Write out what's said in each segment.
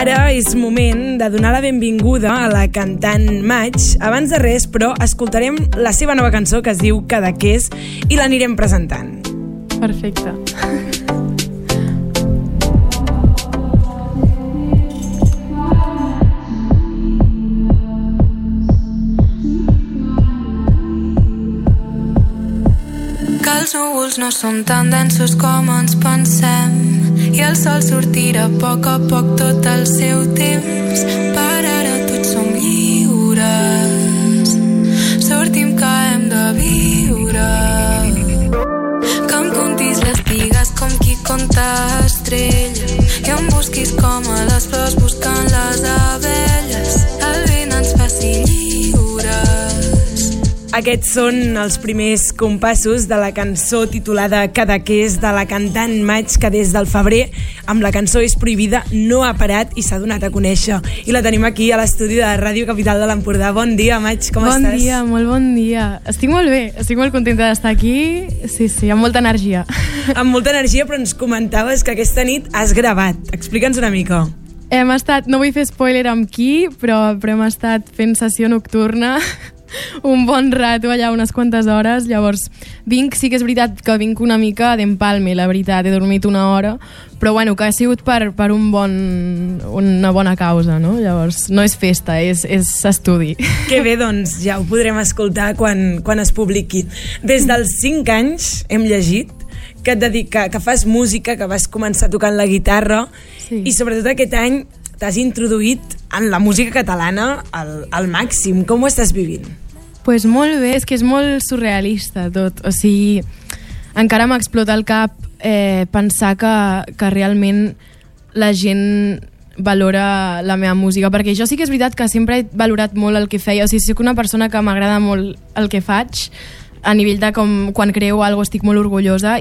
Ara és moment de donar la benvinguda a la cantant Maig. Abans de res, però, escoltarem la seva nova cançó que es diu Cadaqués i l'anirem presentant. Perfecte. Que els núvols no són tan densos com ens pensem i el sol sortirà a poc tot el seu temps. Per ara tots som lliures, sortim que hem de viure. Que em contis les pigues com qui conta estrelles i em busquis com a les flors buscant les abelles. El vent ens faci lliures. Aquests són els primers compassos de la cançó titulada Cadaqués de la cantant Maig, que des del febrer amb la cançó És prohibida no ha parat i s'ha donat a conèixer. I la tenim aquí a l'estudi de Ràdio Capital de l'Empordà. Bon dia, Maig, com estàs? Bon dia, molt bon dia. Estic molt bé, estic molt contenta d'estar aquí. Sí, amb molta energia. Amb molta energia, però ens comentaves que aquesta nit has gravat. Explica'ns una mica. Hem estat, no vull fer spoiler amb qui, però hem estat fent sessió nocturna un bon rato allà, unes quantes hores. Llavors sí que és veritat que vinc una mica d'empalme, la veritat, he dormit una hora, però bueno, que ha sigut per una bona causa, no? Llavors no és festa, és estudi. Que bé, doncs ja ho podrem escoltar quan es publiqui. Des dels 5 anys hem llegit que que fas música, que vas començar tocant la guitarra, sí. I sobretot aquest any t'has introduït en la música catalana al màxim. Com ho estàs vivint? Pues molt bé, és que és molt surrealista tot. O sigui, encara m'explota el cap pensar que realment la gent valora la meva música, perquè jo sí que és veritat que sempre he valorat molt el que feia. O sigui, soc una persona que m'agrada molt el que faig, a nivell de com quan creo alguna cosa estic molt orgullosa,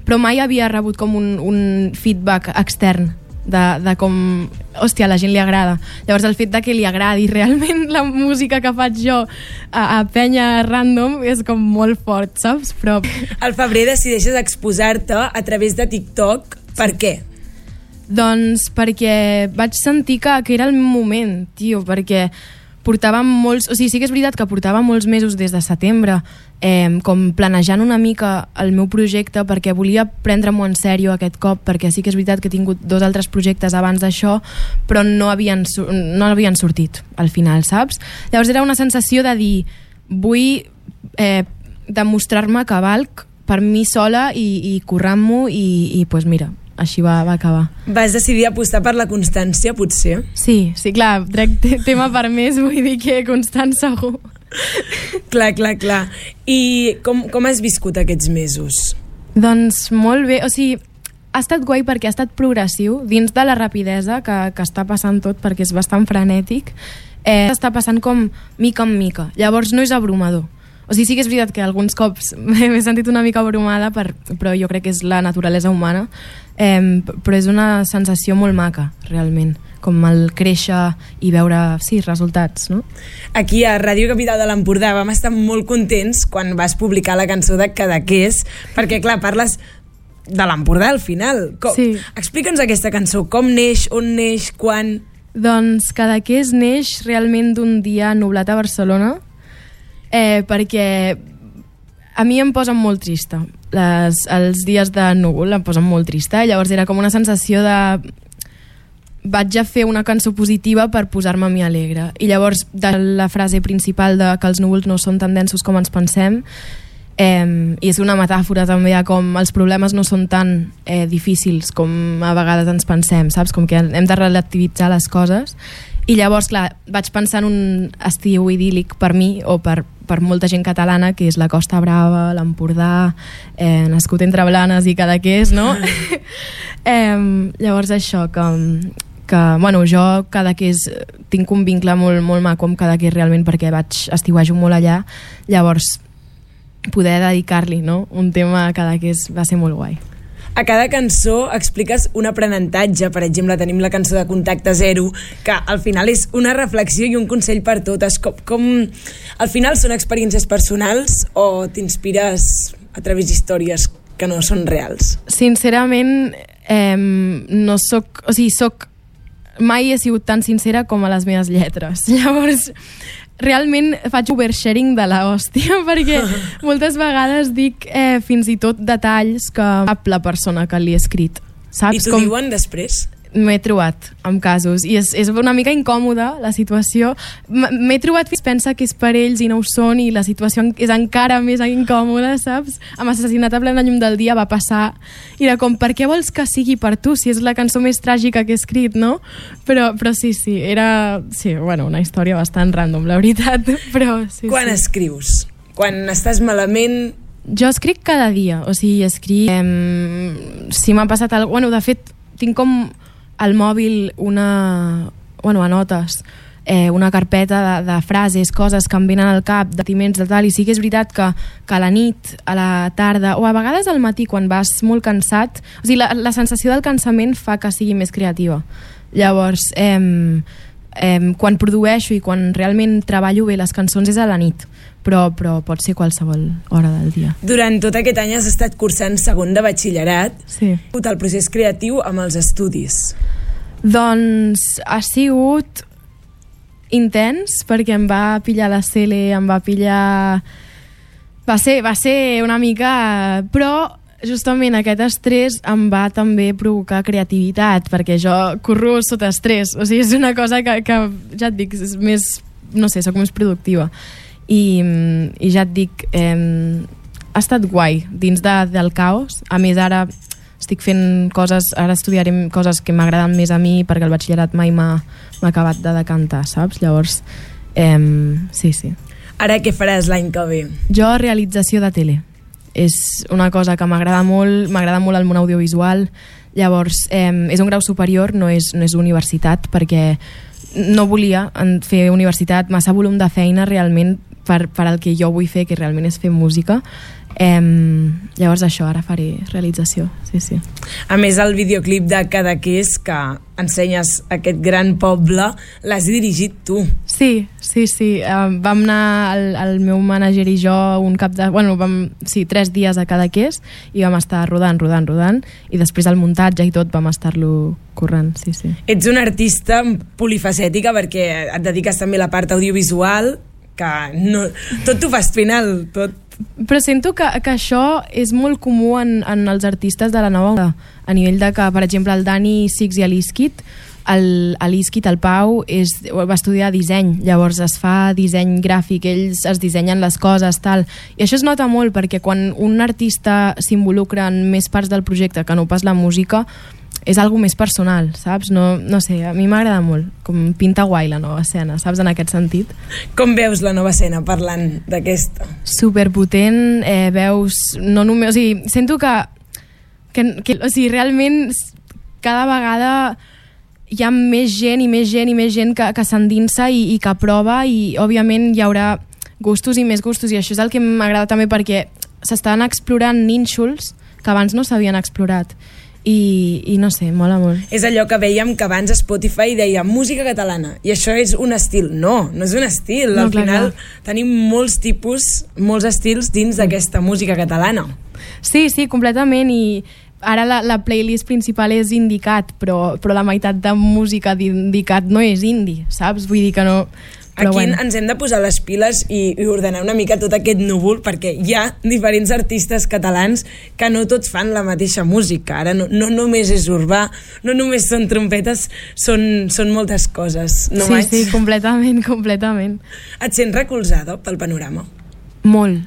però mai havia rebut com un feedback extern de com, hòstia, a la gent li agrada. Llavors el fet de que li agradi realment la música que faig jo a penya random és com molt fort, saps? Però al febrer decideixes exposar-te a través de TikTok. Per què? Doncs perquè vaig sentir que era el moment, tio, perquè portàvem molts... O sigui, sí que és veritat que portava molts mesos des de setembre com planejant una mica el meu projecte, perquè volia prendre-m'ho en sèrio aquest cop, perquè sí que és veritat que he tingut 2 altres projectes abans d'això, però no havien sortit al final, saps? Llavors era una sensació de dir, vull demostrar-me que valc per mi sola i currant-m'ho i pues mira, així va acabar. Vas decidir apostar per la constància, potser? Sí, clar, trec tema per més, vull dir que constant segur. Clar. I com has viscut aquests mesos? Doncs molt bé, o sigui, ha estat guai perquè ha estat progressiu, dins de la rapidesa que està passant tot, perquè és bastant frenètic, està passant com mica en mica, llavors no és abrumador. O sigui, sí que és veritat que alguns cops m'he sentit una mica abrumada, però jo crec que és la naturalesa humana, però és una sensació molt maca, realment, com el créixer i veure, sí, resultats, no? Aquí a Ràdio Capital de l'Empordà vam estar molt contents quan vas publicar la cançó de Cadaqués, perquè, clar, parles de l'Empordà al final. Sí. Explica'ns aquesta cançó, com neix, on neix, quan... Doncs Cadaqués neix realment d'un dia nublat a Barcelona, perquè a mi em posen molt trista. Els dies de núvol em posen molt trista, llavors era com una sensació de... vaig a fer una cançó positiva per posar-me a mi alegre. I llavors, de la frase principal de que els núvols no són tan densos com ens pensem, i és una metàfora també de com els problemes no són tan difícils com a vegades ens pensem, saps? Com que hem de relativitzar les coses. I llavors, clar, vaig pensar en un estiu idíl·lic per mi o per molta gent catalana, que és la Costa Brava, l'Empordà, nascut entre Blanes i Cadaqués, no? Llavors això, que bueno, jo Cadaqués tinc un vincle molt, molt maco amb Cadaqués realment, perquè estiuejo molt allà, llavors poder dedicar-li, no? Un tema a Cadaqués va ser molt guai. A cada cançó expliques un aprenentatge. Per exemple, tenim la cançó de Contacte Zero, que al final és una reflexió i un consell per totes. Com al final són experiències personals o t'inspires a través d'històries que no són reals? Sincerament, no soc... O sigui, soc mai he sigut tan sincera com a les meves lletres. Llavors, realment faig oversharing de la hòstia, perquè moltes vegades dic fins i tot detalls que sap la persona que li he escrit. Saps? I t'ho diuen després? M'he trobat amb casos i és una mica incòmoda la situació. M'he trobat fins pensa que és per ells i no ho són, i la situació és encara més incòmoda, saps? Amb Assassinat a plena llum del dia va passar i era com, per què vols que sigui per tu si és la cançó més tràgica que he escrit, no? Però sí, era una història bastant random, la veritat, però sí. Quan escrius? Quan estàs malament? Jo escric cada dia, o sigui, escric si m'ha passat alguna cosa. Bueno, de fet, tinc com al mòbil a notes, una carpeta de frases, coses que em venen al cap, de sentiments, de tal, i sí que és veritat que a la nit, a la tarda, o a vegades al matí, quan vas molt cansat, o sigui, la sensació del cansament fa que sigui més creativa. Llavors, quan produeixo i quan realment treballo bé les cançons és a la nit, però pot ser qualsevol hora del dia. Durant tot aquest any has estat cursant segon de batxillerat. Sí. El procés creatiu amb els estudis? Doncs ha sigut intens, perquè em va pillar la CL, em va pillar... Va ser una mica... Però justament aquest estrès em va també provocar creativitat, perquè jo corro sota estrès, o sigui, és una cosa que ja et dic, és més, no sé, soc més productiva. I ja et dic, ha estat guai dins del caos. A més, ara estic fent coses, ara estudiaré coses que m'agraden més a mi, perquè el batxillerat mai m'ha acabat de decantar, saps? Llavors, sí. Ara què faràs l'any que ve? Jo, realització de tele. És una cosa que m'agrada molt el món audiovisual. Llavors, és un grau superior, no és universitat, perquè no volia fer universitat, massa volum de feina realment per al que jo vull fer, que realment és fer música. Llavors això, ara faré realització, sí. A més, el videoclip de Cadaqués, que ensenyes aquest gran poble, l'has dirigit tu. Sí. Vam anar el meu mànager i jo un cap de... 3 dies a Cadaqués i vam estar rodant i després el muntatge i tot vam estar-lo currant, sí. Ets una artista polifacètica perquè et dediques també a la part audiovisual, que no, tot t'ho fas final, tot. Però sento que això és molt comú en els artistes de la nova onda, a nivell de que, per exemple, el Dani Six i l'Iskit, el Pau va estudiar disseny, llavors es fa disseny gràfic, ells es dissenyen les coses, tal, i això es nota molt perquè quan un artista s'involucra en més parts del projecte que no pas la música, és algo més personal, saps? No sé, a mi m'agrada molt, com pinta guai la nova escena, saps, en aquest sentit. Com veus la nova escena parlant d'aquesta? Superpotent, veus, no només, o sigui, sento que o sigui, realment cada vegada hi ha més gent que s'endinsa i que prova, i òbviament hi haurà gustos i més gustos, i això és el que m'agrada també perquè s'estan explorant nínxols que abans no s'havien explorat. I no sé, mola molt. És allò que veiem que abans Spotify deia música catalana, i això és un estil. No és un estil. Al final tenim molts estils dins d'aquesta música catalana. Sí, completament, i ara la playlist principal és Indicat, però la meitat de música d'Indicat no és indie, saps? Vull dir que no... Aquí ens hem de posar les piles i ordenar una mica tot aquest núvol, perquè hi ha diferents artistes catalans que no tots fan la mateixa música. Ara no només és urbà, no només són trompetes, són moltes coses. No, sí, completament. Et sents recolzada pel panorama? Molt,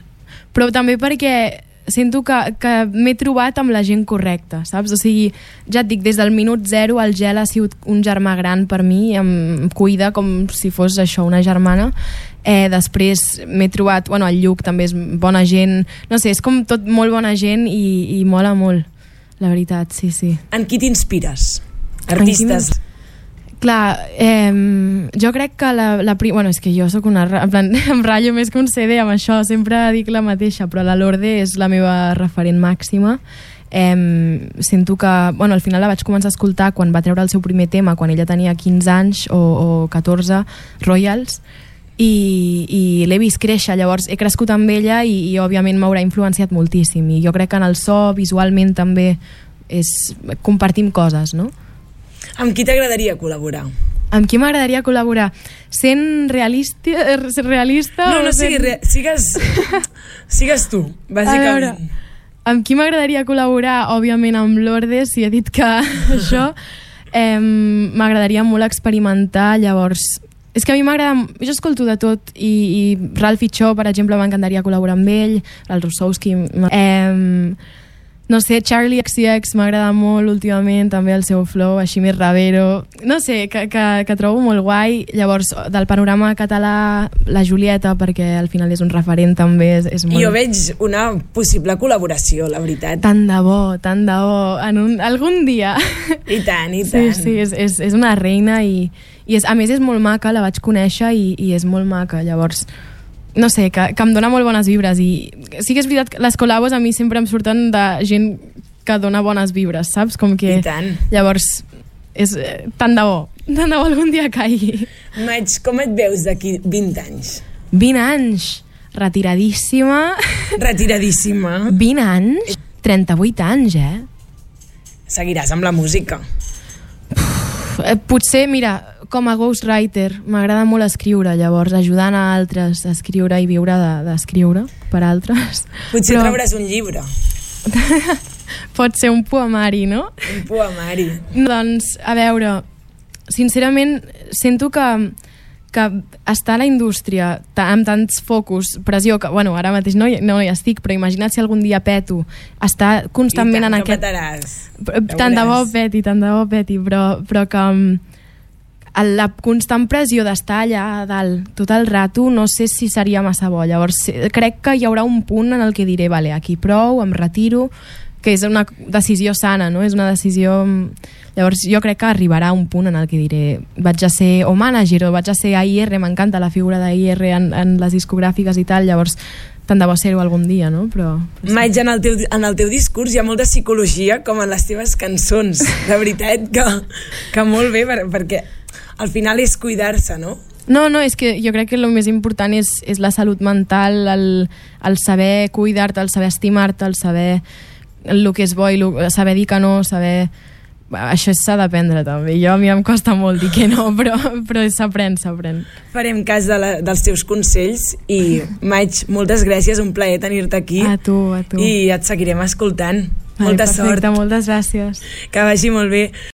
però també perquè sento que m'he trobat amb la gent correcta, saps? O sigui, ja et dic, des del minut 0 el Gel ha sigut un germà gran per mi, em cuida com si fos això, una germana. Després m'he trobat, el Lluc també és bona gent, no sé, és com tot molt bona gent i mola molt, la veritat, sí. En qui t'inspires? Artistes? Clar, jo crec que és que jo soc una... em ratllo més que un CD amb això, sempre dic la mateixa, però la Lorde és la meva referent màxima. Sento que, al final la vaig començar a escoltar quan va treure el seu primer tema, quan ella tenia 15 anys o 14, Royals, i l'he vist créixer, llavors he crescut amb ella i òbviament m'haurà influenciat moltíssim, i jo crec que en el so, visualment també compartim coses, no? Amb qui t'agradaria col·laborar? Amb qui m'agradaria col·laborar? Sent realista No, sigues tu, bàsicament. Amb qui m'agradaria col·laborar? Òbviament amb Lourdes, si he dit que això. M'agradaria molt experimentar, llavors... És que a mi m'agrada... Jo escolto de tot i Ralphie Cho, per exemple, m'encantaria col·laborar amb ell, el Rossowski... No sé, Charlie XCX m'agrada molt últimament, també el seu flow, així més ravero. No sé, que trobo molt guai. Llavors, del panorama català, la Julieta, perquè al final és un referent també. És molt... Jo veig una possible col·laboració, la veritat. Tant de bo, algun dia. I tant, i tant. Sí, és una reina i a més és molt maca, la vaig conèixer i és molt maca, llavors... No sé, que em dona molt bones vibres i sí que és veritat que les col·labos a mi sempre em surten de gent que dona bones vibres, saps? Com que... I tant. Llavors, és tant de bo algun dia caigui. Maig, com et veus d'aquí 20 anys? 20 anys? Retiradíssima. Retiradíssima. 20 anys? 38 anys, Seguiràs amb la música. Potser, mira, com a ghostwriter m'agrada molt escriure, llavors ajudant a altres a escriure i viure d'escriure per altres. Potser trauràs un llibre. Pot ser un poemari, no? Un poemari. Doncs, a veure, sincerament sento que estar a la indústria amb tants focus, pressió, que bueno, ara mateix no hi estic, però imagina't si algun dia peto, estar constantment en aquest... Tant de bo peti, però que la constant pressió d'estar allà a dalt tot el rato no sé si seria massa bo. Llavors crec que hi haurà un punt en el que diré, vale, aquí prou, em retiro, que és una decisió sana, no? És una decisió... Llavors jo crec que arribarà un punt en el que diré vaig a ser o manager o vaig a ser AIR, m'encanta la figura d'AIR en les discogràfiques i tal, llavors tant de bo ser-ho algun dia, no? Però sí. Maig, en el teu discurs hi ha molta psicologia, com en les teves cançons. De veritat que molt bé, perquè al final és cuidar-se, no? No, és que jo crec que el més important és la salut mental, el saber cuidar-te, el saber estimar-te, el saber el que és bo i saber dir que no, saber... Això s'ha d'aprendre també. A mi em costa molt dir que no, però s'aprèn. Farem cas dels teus consells i, Maig, moltes gràcies, un plaer tenir-te aquí. A tu. I et seguirem escoltant. Molta sort. Perfecte, moltes gràcies. Que vagi molt bé.